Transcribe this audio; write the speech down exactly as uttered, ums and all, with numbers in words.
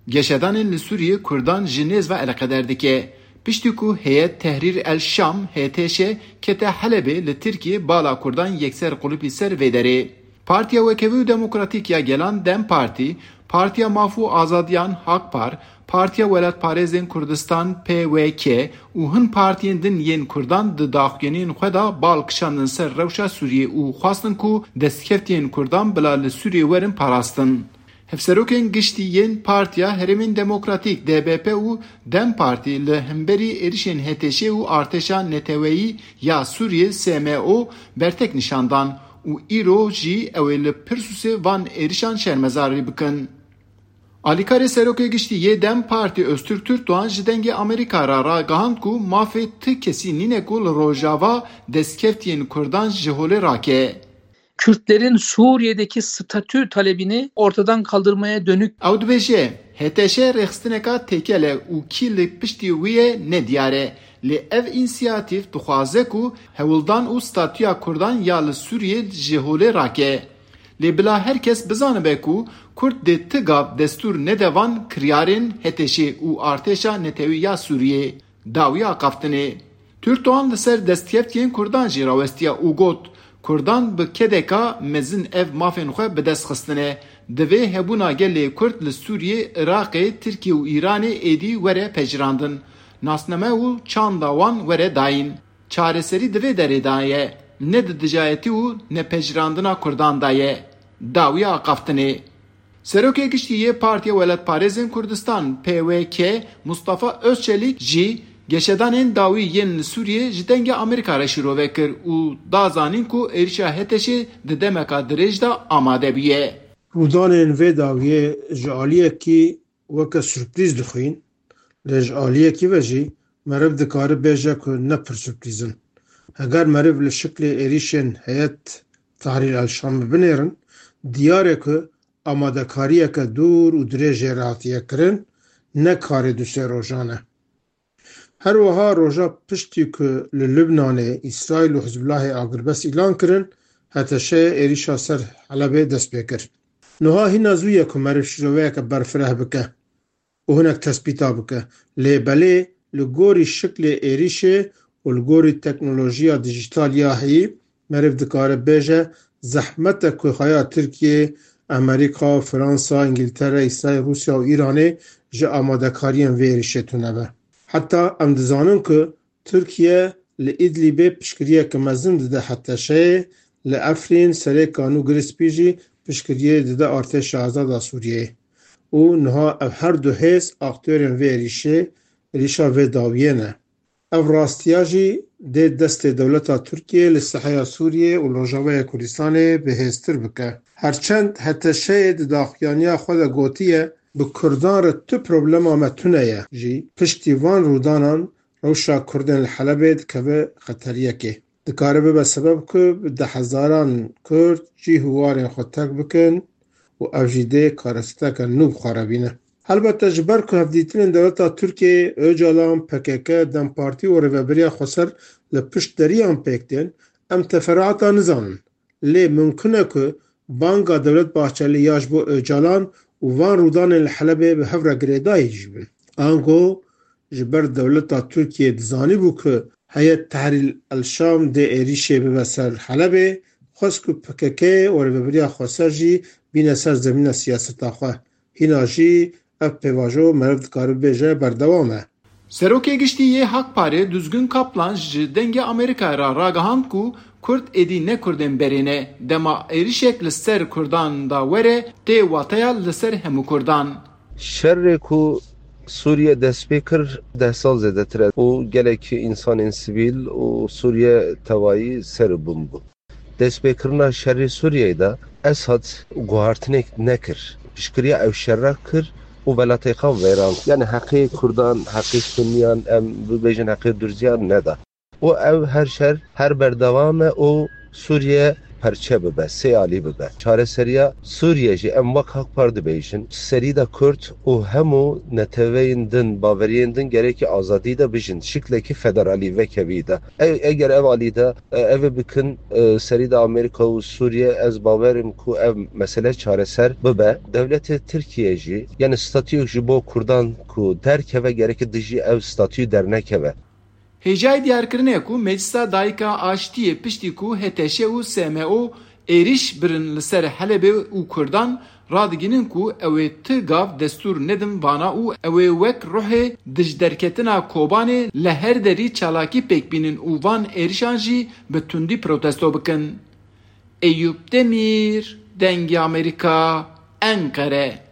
Geşedanên li Sûriyê Kurdan ji nêz ve eleqeder dike. Piştî ku Heyet Tehrîr el Şam, H T Ş, kete Helebê, li Tirkiyê bala Kurdan yekser qulipî ser vê derê. Partiya Wekevî û Demokratîk ya Gelan, DEM Partî, Partiya Maf û Azadiyan, HAK-PAR, Partiya Welatparêzên Kurdistan, P W K, û hin partiyên din yên Kurdan di daxuyaniyên xwe de bal kişandin ser rewşa Sûriyê û xwestin ku destkeftiyên Kurdan bila li Sûriyê werin parastin. Hevserokên giştî yên Partiya Herêmên Demokratîk, D B P, û DEM Partî li hemberî êrişên H T Ş û Artêşa Neteweyî ya Sûriyê, S M O, bertek nîşan dan û îro jî ew ê li Pirsûsê van êrişan şermezarî bikin. Alîkarê Serokê Giştî yê DEM Partî Öztürk Türkdoğan ji Dengê Amerîka re ragihand ku mafê ti kesî nîne ku li Rojava destkeftiyên Kurdan ji holê rake. Kürtlerin Suriye'deki statü talebini ortadan kaldırmaya dönük. Ew dibêje, H T Ş rêxistineka têkel e û kî li piştî wî ye nediyar e. Lê ev însiyatîf dixwaze ku hewldan û statûya Kurdan ya li Sûriyê ji holê rake. Lê bila her kes bizanibe ku Kurd dê ti gav destûr nede van kiryarên H T Ş û artêşa netewî ya Sûriyê. Dawiya axaftinê. Türkdoğan li ser destkeftiyên Kurdan jî rawestiya û got, Kurdan bi kedeka mezin ev mafên xwe bi dest xistine. Divê hebûna gelê Kurd li Sûriyê, Iraqê, Tirkiye û Îranê êdî were pejirandin. Nasname û çanda wan were dayîn. Çareserî di vê derê de ye, ne di dijayetî û nepejirandina Kurdan de ye. Dawiya axaftinê. Serokê Giştî yê Partiya Welatparêzên Kurdistan, P W K, Mustafa Özçelik jî geşedanên dawî yên li Sûriyê ji Dengê Amerîka re şîrove kir û da zanîn ku êrişa H T Şê di demeka dirêj de amade bûye. Rûdanên vê dawiyê ji aliyekî weke surprîz dixwîn, lê ji aliyekî ve jî meriv dikare bêje ku ne pir surprîz in. Heger meriv li şiklê êrîşên Heyet Tahrir el-Şamê binêrin, diyar e ku amadekariyeke dûr û dirêj jê re hatiye kirin, ne karê du sê rojan e. Her wiha roja piştî ku li Lubnanê Îsraîl û Hizbullahê agirbest îlan kirin, H T Ş êrîşa ser Helebê dest pê kir. Niha hîna zû ye ku meriv şîroveyeke berfireh bike û hinek tespîta bike. Lê belê li gorî şiklê êrîşê û li gorî teknolojiya dijîtal ya heyî, meriv dikare bêje, zehmet e ku heya Tirkiye, Amerîka, Fransa, Îngiltere, Îsraîl, Rûsya û Îranê ji amadekariyên vê êrîşê tune be. Heta em dizanin ku Tirkiye li Îdlîbê piştgiriyeke mezin dide H T Ş'ê, li Efrîn, Serê Kanû Girê Spî jî piştgiriyê dide Artêşa Azad a Sûriyeyê û niha ev her du hêz aktorên vê êrîşê, êrîşa vê dawiyê ne. Ev rastiya jî dê destê dewleta Tirkiyê li seheya Sûriyê û li Rojavaya Kurdistanê bihêztir bike. Herçend H T Ş'ê di daxuyaniya xwe de gotiye, bi Kurdan re tu problema me tune ye jî, piştî van rûdanan rewşa Kurdên li Helebê dikeve xeteriyekê. Dikare bibe sebeb ku bi dehhezaran Kurd cîh û warên xwe terk bikin û ev jî dê karesateke nû bi xwe re bîne. Helbete ji ber ku hevdîtinên dewleta Tirkiyeyê, Ocalan, P K K, DEM Partî û Rêveberiya Xweser li pişt deriyan pêk tên, em teferuata nizanin. Lê mimkun e ku banga Dewlet Bahçelî ya ji bo Ocalan û van rûdanên li Helebê bi hev re girêdayî jî bin. Ango ji ber dewleta Tirkiyê dizanîbû ku Heyet Tehrîr el-Şam dê êrîşê bibe ser Helebê, xwest ku P K K û Rêveberiya Xweser jî bîne ser zemîna siyaseta xwe. Hîna jî ev pêvajo meriv dikare bibêje berdewam e. Serokê Giştî yê HAK-PARê Duzgun Kaplan ji Dengê Amerîkayê re ragihand ku Kurd êdî ne Kurdên berê ne, dema êrişek li ser Kurdan de were, tê wateya li ser hemû Kurdan. Şerê ku Sûriye dest pê kir deh sal zêdetir e û gelek însanên sivîl û Sûriye tevayî ser û bin bûn. Destpêkirina şerê Sûriyeyê de Esad guhartinek nekir. Piştgiriya ew şerra kir û welatê xwe vêrand. Yani heqê Kurdan, heqê Sunniyan, em bibêjin heqê Durziyan neda. Û ev her şer her berdewam e û Sûriye perçe bibe, sê alî bibe. Çareseriya Sûriye jî em wek Hak Par dibêjin, serî de Kurd û hemû neteweyên din, baweriyên din gerekî azadî de bijin, şiklekî federalî vekevî de. E, eger ev alî de, e, ev bikin, e, serî de Amerîka û Sûriye, ez bawer im ku ev mesele çareser bibe. Dewletê Tirkiye jî, yani statûyek ji bo Kurdan ku derkeve, gerekî dijî ev statûyê dernekeve. Hêjayî diyarkirinê ye ku Meclisa Dayika Aştiyê piştî ku H T Ş û S M O êrîş birin li ser Helebê û Kurdan, radigihînin ku ew ê ti gav destûr nedin vana û ew ê wek ruhê dijderketina Kobanê li her derî çalakî pêk bînin û van êrişan jî bi tundî protesto bikin. Eyûp Demîr, Dengê Amerîka, Enqere.